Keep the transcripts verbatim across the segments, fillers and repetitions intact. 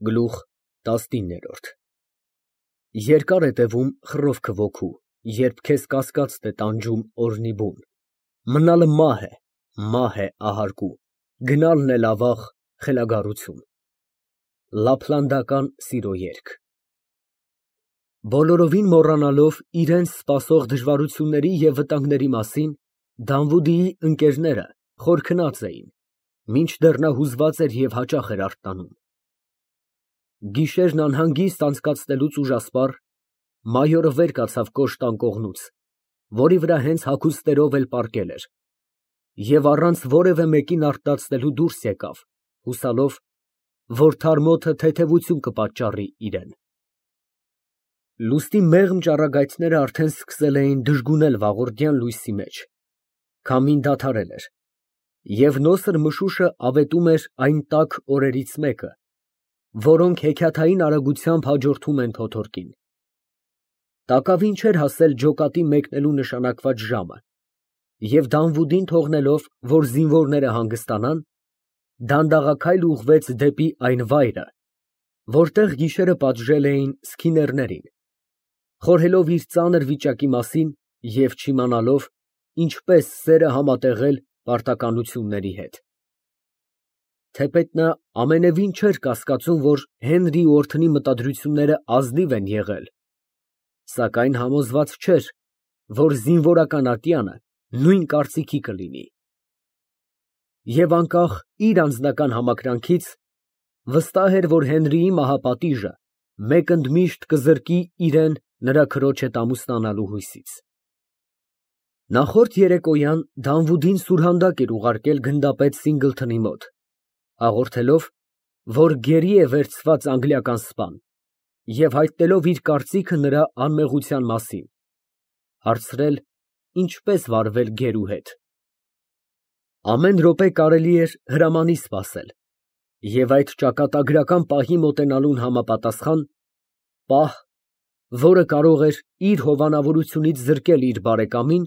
Գլուխ տասնինը Երկար է տևում խռովքը ոգու, երբ քեզ կասկածտ է տանջում օրհնի բուն, մնալը մահ է, մահ է ահարկու, գնալն էլ ավաղ, խելագարություն։ Լափլանդական սիրո երգ Բոլորովին մոռանալով իրենց սպասող դժվարությունների և վտանգների մասին, Դանվուդիի ընկերները խոր քնած էին, մինչդեռ նա հուզված էր և հաճախ էր արթնանում։ Գիշերն անհանգիստ անցկացնելուց ուժասպառ, մայորը վեր կացավ կոշտ անկողնուց, որի վրա հենց հագուստներով էլ պառկել էր, և առանց որևէ մեկին արթնացնելու դուրս եկավ, հուսալով, որ թարմոթը թեթևություն կպատճառի իրան։ Լուսնի մեղմ ճառագայթները արդեն սկսել էին դժգունել վաղորդյան լույսի մեջ, քամին դադարել էր, և նոսր մշուշը ավետում էր այն տաք օրերից մեկը, որոնք հեքիաթային արագությամբ հաջորդում են փոթորկին։ Տակավին չէր հասել ջոկատի մեկնելու նշանակված ժամը, և Դանվուդին թողնելով, որ զինվորները հանգստանան, դանդաղաքայլ ուղղվեց դեպի այն վայրը, որտեղ գիշերը պատժել էին սքիներներին, խորհելով իր ծանր վիճակի մասին և չիմանալով ինչպես սերը համատեղել պարտականությունների հետ։ Թեպետ նա ամենևին չէր կասկածում, որ Հենրի ու օրդնի մտադրությունները ազնիվ են եղել, սակայն համոզված չէր, որ զինվորական ատյանը նույն կարծիքի կլինի։ Եվ անկախ իր անձնական համակրանքից, վստահ էր, որ Հենրիի մահապատիժը մեկընդմիշտ կզրկի իրան նրա քրոջ հետ ամուսնանալու հույսից։ Նախորդ երեկոյան Դանվուդին սուրհանդակ էր ուղարկել գնդապետ Սինգլթոնի մոտ, հաղորդելով, որ գերի է վերցված անգլիական սպան, և հայտնելով իր կարծիքը նրա անմեղության մասին, հարցրել ինչպես վարվել գերու հետ։ Ամեն րոպե կարելի էր հրամանի սպասել, և այդ ճակատագրական պահի մոտենալուն համապատասխան, պահ, որը կարող էր իր հովանավորությունից զրկել իր բարեկամին,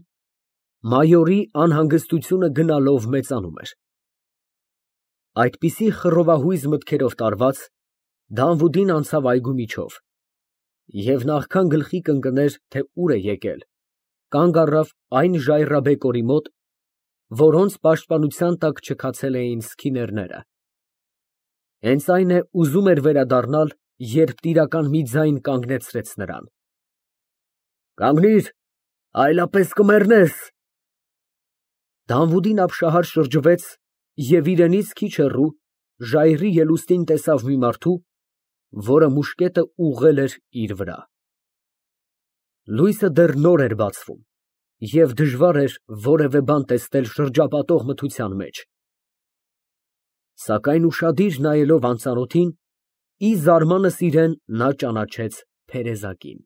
մայորի անհանգստությունը գնալով մեծանում էր։ Այդպիսի խռովահույզ մտքերով տարված, Դանվուդին անցավ այգու միջով, և նախքան գլխի կընկներ, թե ուր է եկել, կանգ առավ այն ժայռաբեկորի մոտ, որոնց պաշտպանության տակ չքացել էին սքիներները։ Հենց այն է ուզում էր վերադառնալ, երբ տիրական մի ձայն կանգնեցրեց նրան։ Կանգնիր, այլապես կմեռնես։ Դանվուդին ապշահար շրջվեց և իրենից քիչ հեռու, ժայռի ելուստին տեսավ մի մարդու, որը մուշկետը ուղղել էր իր վրա։ Լույսը դեռ նոր էր բացվում, և դժվար էր որևէ բան տեսնել շրջապատող մթության մեջ, սակայն ուշադիր նայելով անծանոթին, ի զարմանս իրեն նա ճանաչեց Թերեզակին։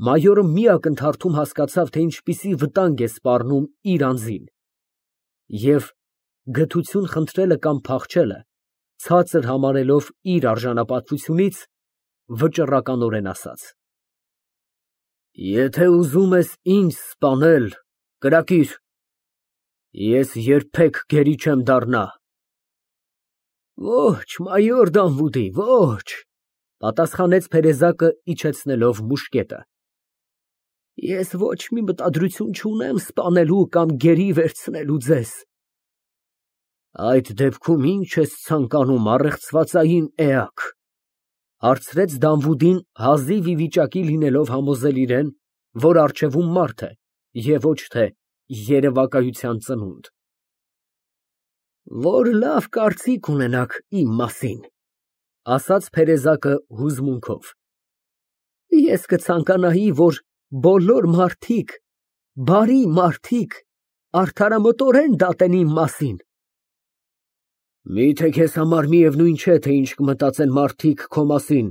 Մայորը մի ակնթարթում հասկացավ, թե ինչպիսի վտանգ է սպառնում իր անձին, և գթություն խնդրելը կամ փախչելը ցածր համարելով իր արժանապատվությունից, վճռականորեն ասաց. Եթե ուզում ես ինձ սպանել, կրակիր, ես երբեք գերի չեմ դառնա։ Ոչ, մայոր Դանվուդի, ոչ, պատասխանեց Թերեզակը, իջեցնելով մուշկետը։ Ես ոչ մի մտադրություն չունեմ սպանելու կամ գերի վերցնելու ձեզ։ Այդ դեպքում ի՞նչ ես ցանկանում, առեղծվածային էակ, հարցրեց Դանվուդին, հազիվ ի վիճակի լինելով համոզել իրեն, որ առջևում մարդ է և ոչ թե երևակայության ծնունդ։ Որ լավ կարծիք ունենաք իմ մասին, ասաց Թերեզակը հուզմունքով։ Ես կցանկանայի, որ բոլոր մարդիկ, բարի մարդիկ, արդարամտորեն դատեն իմ մասին։ Միթե քեզ համար միևնույն չէ, թե ինչ կմտածեն մարդիկ քո մասին,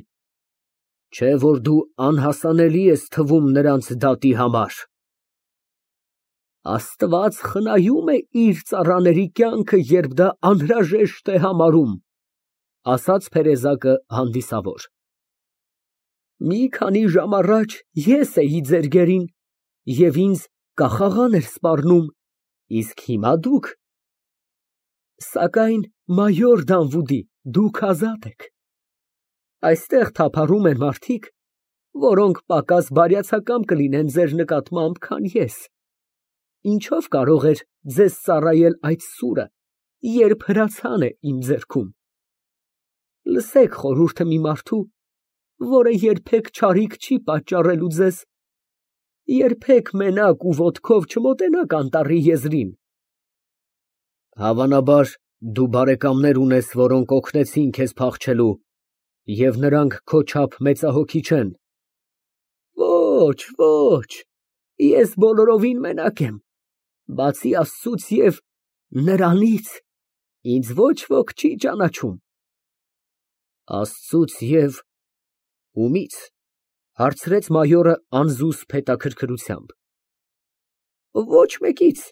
չէ՞ որ դու անհասանելի ես թվում նրանց դատի համար։ Աստված խնայում է իր ծառաների կյանքը, երբ դա անհրաժեշտ է համարում, ասաց Թերեզակը հանդիսավոր։ Մի քանի ժամ առաջ ես էի ձեր գերին, և ինձ կախաղան էր սպառնում, իսկ հիմա դուք։ Սակայն, մայոր Դանվուդի, դուք ազատ եք։ Այստեղ թափառում են մարդիկ, որոնք պակաս բարյացակամ կլինեն ձեր նկատմամբ, քան ես։ Ինչով կարող էր ձեզ ծառայել այդ սուրը, երբ հրացան է իմ ձեռքում։ Լսեք խորհուրդը մի մարդու, որը երբեք չարիք չի պատճառելու ձեզ, երբեք մենակ ու ոտքով չմոտենաք անտառի եզրին։ Հավանաբար դու բարեկամներ ունես, որոնք օգնեցին քեզ փախչելու, և նրանք քո չափ մեծահոգի չեն։ Ոչ, ոչ, ես բոլորովին մենակ եմ, բացի Աստծուց և նրանից ինձ ոչ ոք չի ճանաչում։ Աստծուց և ումի՞ց, հարցրեց մայորը անզուսպ հետաքրքրությամբ։ Ոչ մեկից,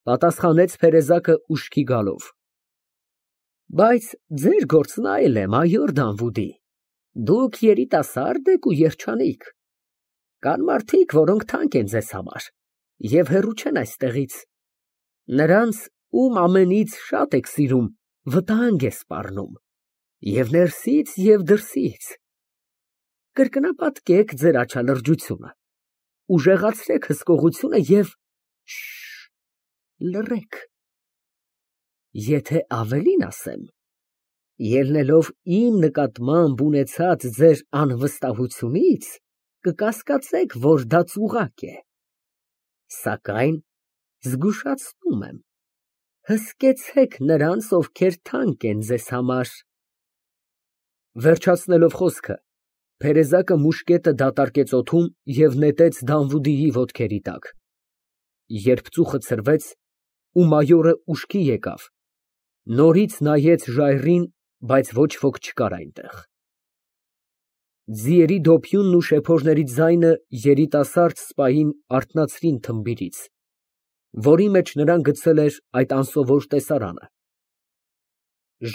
պատասխանեց Փերեզակը ուշքի գալով։ Բայց ձեր գործն այլ է, մայոր Դանվուդի, դուք երիտասարդ եք ու երջանիկ, կան մարդիկ, որոնք թանկ են ձեզ համար և հեռու չեն այստեղից, նրանց, ում ամենից շատ եք սիրում, վտանգ է սպառնում և ներսից և դրսից։ Կրկնապատկեք ձեր աչալրջությունը, ուժեղացրեք հսկողությունը և լռեք։ Եթե ավելին ասեմ, ելնելով իմ նկատմամբ ունեցած ձեր անվստահությունից, կկասկածեք, որ դա ծուղակ է, սակայն զգուշացնում եմ, հսկեցեք նրանց, ովքեր թանկ են ձեզ համար։ Վերջացնելով խոսքը, Փերեզակը մուշկետը դատարկեց օդում և նետեց Դանվուդիի ոտքերի տակ։ Երբ ծուխը ցրվեց ու մայորը ուշքի եկավ, նորից նայեց ժայռին, բայց ոչ ոք չկար այնտեղ։ Ձիերի դոփյունն ու շեփորների ձայնը երիտասարդ սպային արթնացրին թմբիրից, որի մեջ նրան գցել էր այդ անսովոր տեսարանը։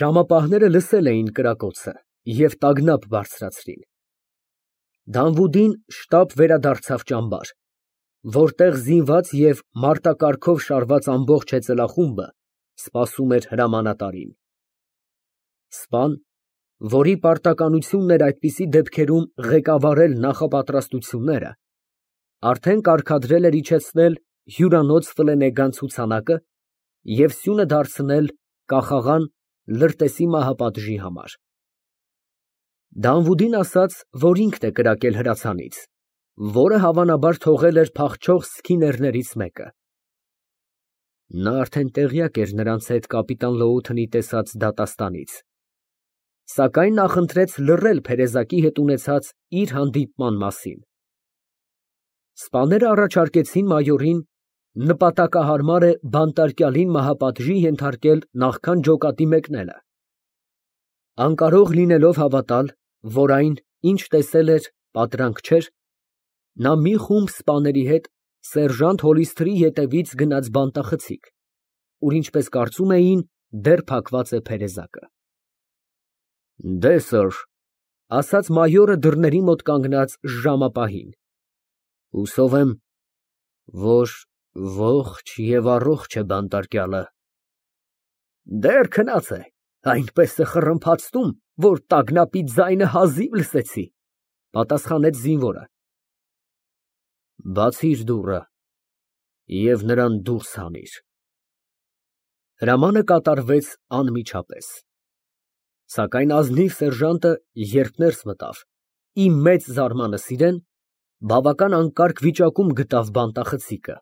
Ժամապահները լսել էին կրակոցը և տագնապ բարձրացրին։ Դանվուդին շտապ վերադարձավ ճամբար, որտեղ զինված և մարտակառքով շարված ամբողջ հեծելախումբը սպասում էր հրամանատարին։ Սպան, որի պարտականությունն էր այդպիսի դեպքերում ղեկավարել նախապատրաստությունները, արդեն կարգադրել էր իջեցնել հյուրանոց ֆլենեգան ցուցանակը և սյունը դարձնել կախաղան լրտեսի մահապատժի համար։ Դանվուդին ասաց, որ ինքն է կրակել հրացանից, որը հավանաբար թողել էր փախչող սքիներներից մեկը։ Նա արդեն տեղյակ էր նրանց հետ կապիտան Լոութընի տեսած դատաստանից, սակայն նախընտրեց լռել Փերեզակի հետ ունեցած իր հանդիպման մասին։ Սպաները առաջարկեցին մայորին նպատակահարմար է բանտարկյալին մահապատժի ենթարկել նախքան ջոկատի մեկնելը։ Անկարող լինելով հավատալ, որ այն, ինչ տեսել էր, պատրանք չէր, նա մի խումբ սպաների հետ սերժանտ Հոլիսթրի ետևից գնաց բանտախցիկ, ուր ինչպես կարծում էին, դեռ փակված է Փերեզակը։ Դե, սըր, ասաց մայորը դռների մոտ կանգնած ժամապահին, հուսով եմ, որ ողջ և առողջ է բանտարկյալը։ Դեռ քնած է, այնպես է խռմփացնում, որ տագնապի ձայնը հազիվ լսեցի, պատասխանեց զինվորը։ Բացիր դուռը և նրան դուրս հանիր։ Հրամանը կատարվեց անմիջապես, սակայն ազնիվ սերժանտը, երբ ներս մտավ, ի մեծ զարմանս իրեն, բավական անկարգ վիճակում գտավ բանտախցիկը։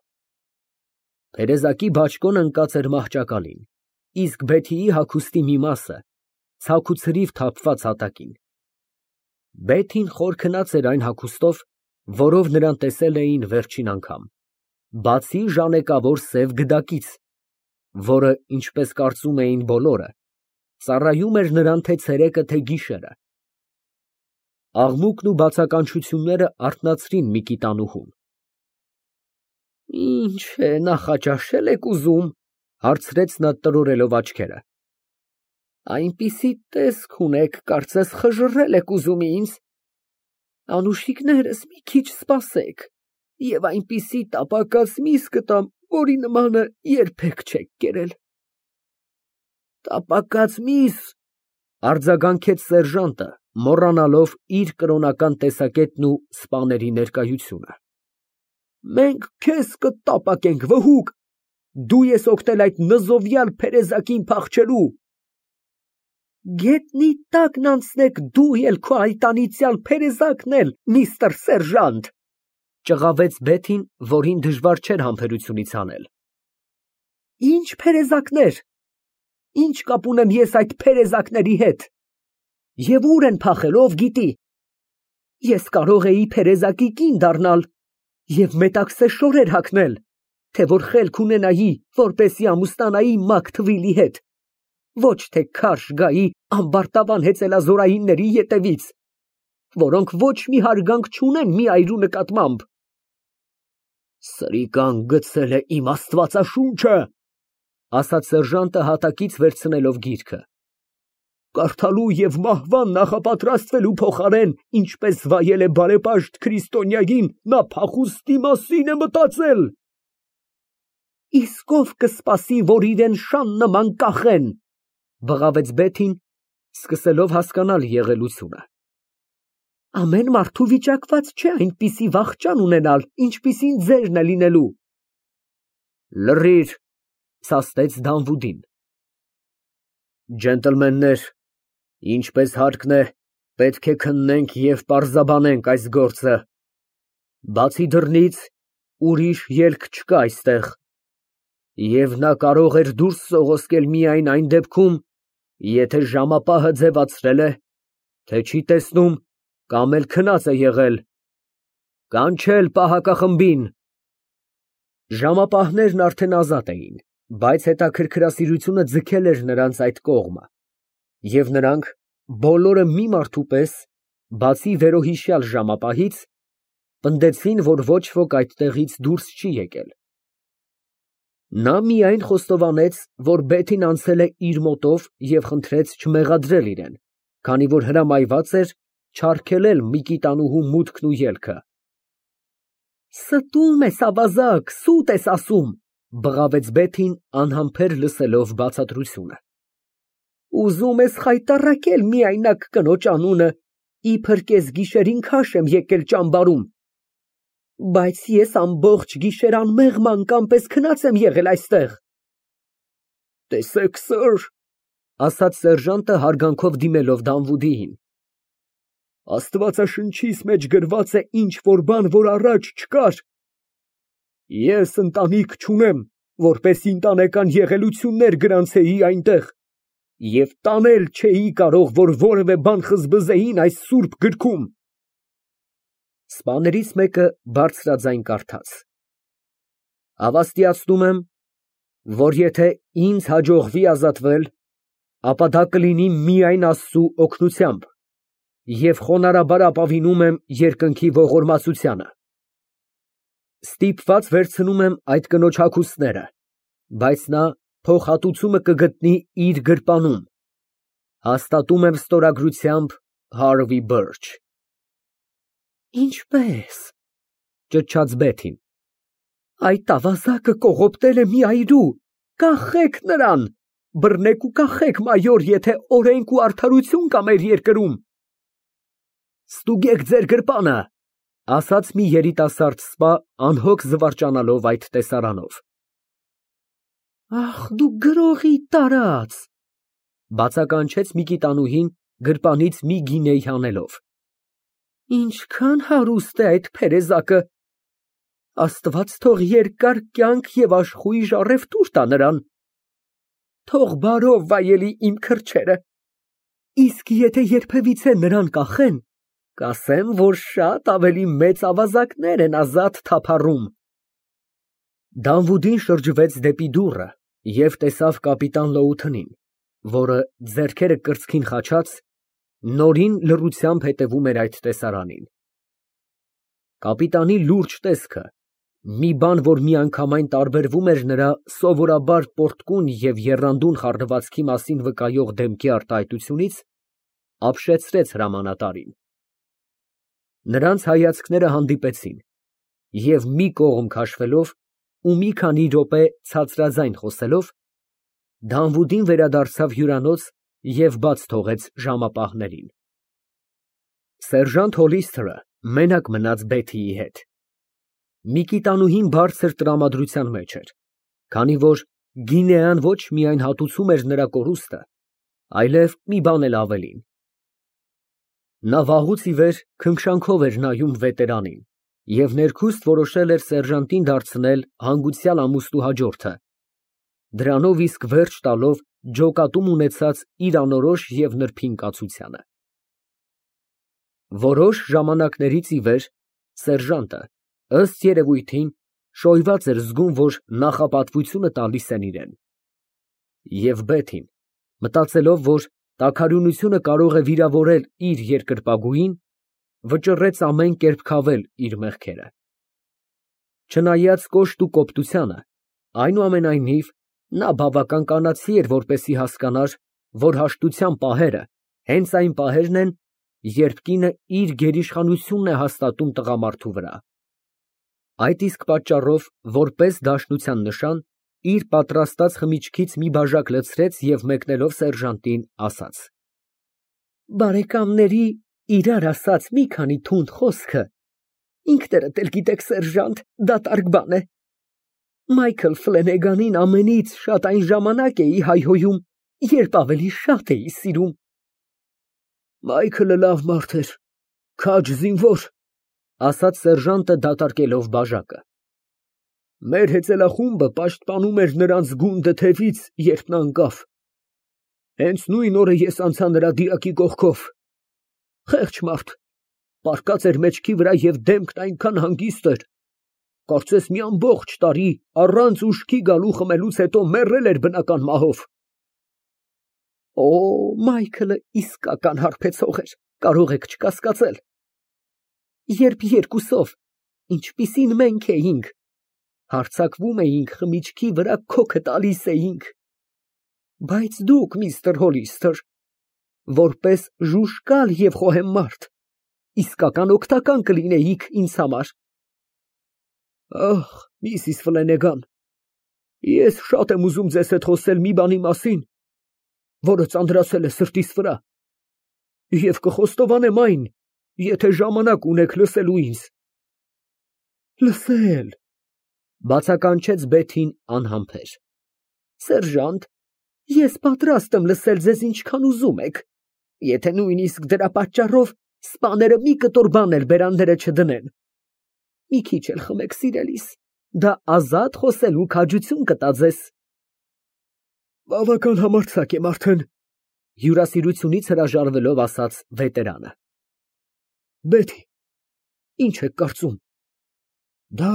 Փերեզակի բաճկոն ընկած էր մահճակալին, իսկ Բեթիի հագուստի մի մասը ցաք ու ցրիվ թափված հատակին։ Բեթին խոր քնած էր այն հագուստով, որով նրան տեսել էին վերջին անգամ, բացի ժանեկավոր սև գդակից, որը, ինչպես կարծում էին բոլորը, ծառայում էր նրան թե ցերեկը, թե գիշերը։ Աղմուկն ու բացականչությունները արթնացրին Միկիտանուհուն։ Ինչ է, նախաճաշե՞լ եք ուզում, հարցրեց նա տրորելով աչքերը։ Այնպիսի տեսք ունեք, կարծես խժռել եք ուզում ինձ։ Անուշիկներս մի քիչ սպասեք, և այնպիսի տապակած միս կտամ, որի նմանը երբեք չեք կերել։ Տապակած միս, Արձագանքեց սերժանտը, մոռանալով իր կրոնական տեսակետն ու սպաների ներկայությունը։ Մենք քեզ կտապակենք, վհուկ, դու ես օգնել այդ նզովյալ փերեզակին փախչելու։ Գետնի տակն անցնեք դու էլ քո այտանիցյալ փերեզակն էլ, միստր սերժանտ, ճղավեց Բեթին, որին դժվար չէր համբերությունից հանել։ Ինչ փերեզակներ, ինչ կապ ունեմ ես այդ փերեզակների հետ, և ուր են փախել, ով գիտի, ես կարող էի փերեզակի կին դառնալ և մետաքսե շորեր հագնել, թե որ խելք ունենայի, որպեսզի ամուսնանայի Մաքթվիլի հետ, ոչ թե քարշ գայի ամբարտավան հեծելազորայինների ետևից, որոնք ոչ մի հարգանք չունեն մի այրու նկատմամբ։ Սրիկան գցել է իմ աստվածաշունչը, ասաց սերժանտը հատակից վերցնելով գիրքը։ Կարդալու և մահվան նախապատրաստվելու փոխարեն, ինչպես վայել է բարեպաշտ քրիստոնյային, նա փախուստի մասին է մտածել։ Իսկ ով կսպասի, որ իրեն շան նման կախեն, բղավեց Բեթին, սկսելով հասկանալ եղելությունը։ Ամեն մարդու վիճակված չէ այնպիսի վախճան ունենալ, ինչպիսին ձերն է լինելու։ Լռիր, սաստեց Դանվուդին։ Ջենտլմեններ, ինչպես հարկն է, պետք է քննենք և պարզաբանենք այս գործը։ Բացի դռնից, ուրիշ ելք չկա այստեղ, և նա կարող էր դուրս սողոսկել միայն այն դեպքում, եթե ժամապահը ձևացրել է, թե չի տեսնում, կամ էլ քնած է եղել։ Կանչել պահակախմբին։ Ժամապահներն արդեն ազատ էին, բայց հետաքրքրասիրությունը ձգել էր նրանց այդ կողմը, և նրանք բոլորը մի մարդու պես, բացի վերոհիշյալ ժամապահից, պնդեցին, որ ոչ ոք այդտեղից դուրս չի եկել։ Նա միայն խոստովանեց, որ Բեթին անցել է իր մոտով և խնդրեց չմեղադրել իրեն, քանի որ հրամայված էր չարգելել Միկիտանուհու մուտքն ու ելքը։ Ստում ես, ավազակ, սուտ ես ասում, բղավեց Բեթին, անհամբեր լսելով բացատրությունը։ Ուզում ես խայտառակել միայնակ կնոջ անունը, իբր կեսգիշերին քաշ եմ եկել ճամբարում, բայց ես ամբողջ գիշեր անմեղ ման պես քնած եմ եղել այստեղ։ Տեսեք, սըր, ասաց սերժանտը հարգանքով դիմելով Դանվուդիին, Աստվածաշնչիս մեջ գրված է ինչ-որ բան, որ առաջ չկար։ Ես ընտանիք չունեմ, որպեսզի ընտանեկան եղելություններ գրանցեի այնտեղ, և տանել չէի կարող, որ որևէ բան խզբզեին այս սուրբ գրքում։ Սպաներից մեկը բարձրաձայն կարդաց. Հավաստիացնում եմ, որ եթե ինձ հաջողվի ազատվել, ապա դա կլինի միայն Աստծու օգնությամբ, և խոնարհաբար ապավինում եմ երկնքի ողորմածությանը։ Ստիպված վերցնում եմ այդ կնոջ հագուստները, բայց նա փոխհատուցումը կգտնի իր գրպանում։ Հաստատում եմ ստորագրությամբ Հարվի Բըրչ։ Ինչպե՞ս, ճչաց Բեթին, այդ ավազակը կողոպտել է մի այրու, կախեք նրան, բռնեք ու կախեք, մայոր, եթե օրենք ու արդարություն կա մեր երկրում։ Ստուգեք ձեր գրպանը, ասաց մի երիտասարդ սպա, անհոգ զվարճանալով այդ տեսարանով։ Ախ, դու գրողի տարած, բացականչեց Միկիտանուհին գրպանից մի գինեյ հանելով։ Ինչքան հարուստ է այդ փերեզակը, Աստված թող երկար կյանք և աշխույժ առևտուր տա նրան։ Թող բարով վայելի իմ քրչերը, իսկ եթե երբևիցե նրան կախեն, կասեմ, որ շատ ավելի մեծ ավազակներ են ազատ թափառում։ Դանվուդին շրջվեց դեպի դուռը և տեսավ կապիտան Լոութընին, որը ձեռքերը կրծքին խաչած, նորին լռությամբ հետևում էր այդ տեսարանին։ Կապիտանի լուրջ տեսքը, մի բան, որ միանգամայն տարբերվում էր նրա սովորաբար պոռթկուն և եռանդուն խառնվածքի մասին վկայող դեմքի արտահայտությունից, ապշեցրեց հրամանատարին։ Նրանց հայացքները հանդիպեցին, և մի կողմ քաշվելով ու մի քանի րոպե ցածրաձայն խոսելով, Դանվուդին վերադարձավ հյուրանոց և բաց թողեց ժամապահներին։ Սերժանտ Հոլիստերը մենակ մնաց Բեթիի հետ։ Միկիտանուհին բարձր տրամադրության մեջ էր, քանի որ գինեան ոչ միայն հատուցում էր նրա կորուստը, այլև մի բան էլ ավելին։ Նա վաղուց ի վեր քնքշանքով էր նայում վետերանին և ներքուստ որոշել էր սերժանտին դարձնել հանգուցյալ ամուսնու հաջորդը, դրանով իսկ վերջ տալով ջոկատում ունեցած իր անորոշ և նրբին կացությանը։ Որոշ ժամանակներից ի վեր սերժանտը, ըստ երևույթին, շոյված էր զգում, որ նախապատվությունը տալիս են իրան։ Եվ Բեթին, մտածելով, որ տաքարյունությունը կարող է վիրավորել իր երկրպագուին, վճռեց ամեն կերպ քավել իր մեղքերը։ Չնայած կոշտ ու կոպտությանը, այնուամենայնիվ, նա բավական կանացի էր, որպեսզի հասկանար, որ հաշտության պահերը հենց այն պահերն են, երբ կինը իր գերիշխանությունն է հաստատում տղամարդու վրա։ Այդ իսկ պատճառով, որպես դաշնության նշան, իր պատրաստած խմիչքից մի բաժակ լցրեց և մեկնելով սերժանտին, ասաց. Բարեկամների իրար ասած մի քանի թունդ խոսքը, ինքներդ էլ գիտեք, սերժանտ, դատարկ բան է։ Մայքլ Ֆլենեգանին ամենից շատ այն ժամանակ էի հայհոյում, երբ ավելի շատ էի սիրում։ Մայքլը լավ մարդ էր, քաջ զինվոր, ասաց սերժանտը դատարկելով բաժակը։ Մեր հեծելախումբը պաշտպանում էր նրանց գունդը թևից, երբ նա ընկավ։ Հենց նույն օրը ես անցա նրա դիակի կողքով։ Խեղճ մարդ, պառկած էր մեջքի վրա և դեմքն այնքան հանգիստ էր, կարծես մի ամբողջ տարի առանց ուշքի գալու խմելուց հետո մեռել էր բնական մահով։ Օ, Մայքլը իսկական հարբեցող էր, կարող եք չկասկածել։ Երբ երկուսով, ինչպիսին մենք էինք, հարձակվում էինք խմիչքի վրա քոքը տալիս էինք։ Բայց դուք, միստր Հոլիստեր, որպես ժուժկալ և խոհեմ մարդ, իսկական օգնական կլինեիք ինձ համար։ Ախ, միսիս Ֆլենեգան, ես շատ եմ ուզում ձեզ հետ խոսել մի բանի մասին, որը ծանրացել է սրտիս վրա, և կխոստովանեմ այն, եթե ժամանակ ունեք լսելու ինձ։ Լսել, բացականչեց Բեթին անհամբեր։ Սերժանտ, ես պատրաստ եմ լսել ձեզ ինչքան ուզում եք, եթե նույնիսկ դրա պատճառով սպաները մի կտոր բան էլ բերանները չդնեն։ Մի քիչ էլ խմեք, սիրելիս, դա ազատ խոսելու քաջություն կտա ձեզ։ Բավական համարձակ եմ արդեն, հյուրասիրությունից հրաժարվելով ասաց վետերանը։ Բեթի, ինչ եք կարծում։ Դա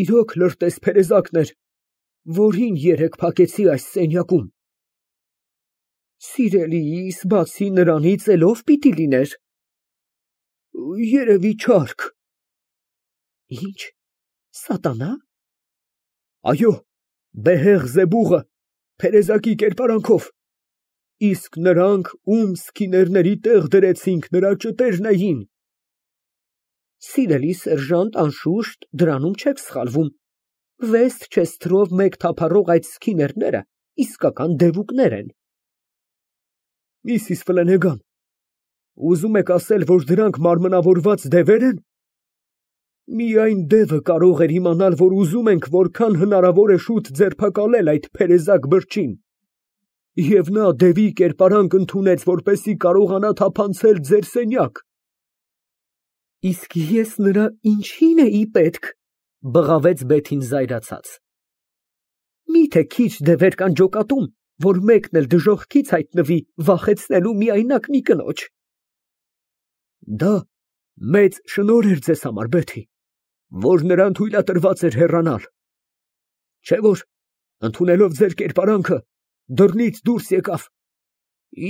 իրոք լրտես փերեզակն էր, որին երեկ փակեցի այս սենյակում։ Սիրելիս, բացի նրանից էլ ով պիտի լիներ։ Երևի չարք։ Ինչ, սատանա։ Այո, Բեհեղ Զեբուղը, փերեզակի կերպարանքով, իսկ նրանք, ում սքիներների տեղ դրեցինք, նրա ճտերն էին։ Սիրելի սերժանտ, անշուշտ դրանում չեք սխալվում, Վեսթչեսթերով մեկ թափառող այդ սքիներները իսկական դևուկներ են։ Միսիս Ֆլենեգան, ուզում եք ասել, որ դրանք մարմնավորված դևեր են։ Միայն դևը կարող էր իմանալ, որ ուզում ենք որքան հնարավոր է շուտ ձերբակալել այդ փերեզակ բրջին, և նա դևի կերպարանք ընդունեց, որպեսզի կարողանա թափանցել ձեր սենյակ։ Իսկ ես նրա ինչի՞ն էի պետք, բղավեց Բեթին զայրացած։ Միթե քիչ դևեր կան ջոկատում, որ մեկն էլ դժոխքից հայտնվի վախեցնելու միայնակ մի կնոջ։ Դա մեծ շնորհ էր ձեզ համար, Բեթի, որ նրան թույլատրված էր հեռանալ։ Չէ՞ որ, ընդունելով ձեր կերպարանքը, դռնից դուրս եկավ։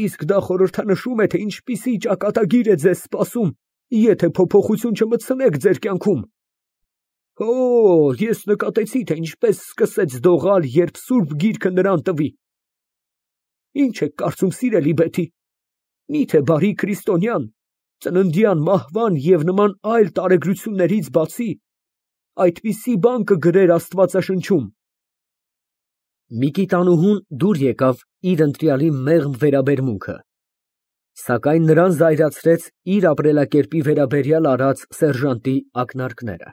Իսկ դա խորհրդանշում է, թե ինչպիսի ճակատագիր է ձեզ սպասում, եթե փոփոխություն չմտցնեք ձեր կյանքում։ Օ, ես նկատեցի, թե ինչպես սկսեց դողալ, երբ Սուրբ Գիրքը նրան տվի։ Ինչ եք կարծում, սիրելի Բեթի, միթե բարի քրիստոնյան, ծննդյան մահվան և նման այլ տարեգրություններից բացի, այդպիսի բան կգրեր Աստվածաշնչում։ Միկիտանուհուն դուր եկավ իր ընտրյալի մեղմ վերաբերմունքը, սակայն նրան զայրացրեց իր ապրելակերպի վերաբերյալ արած սերժանտի ակնարկները։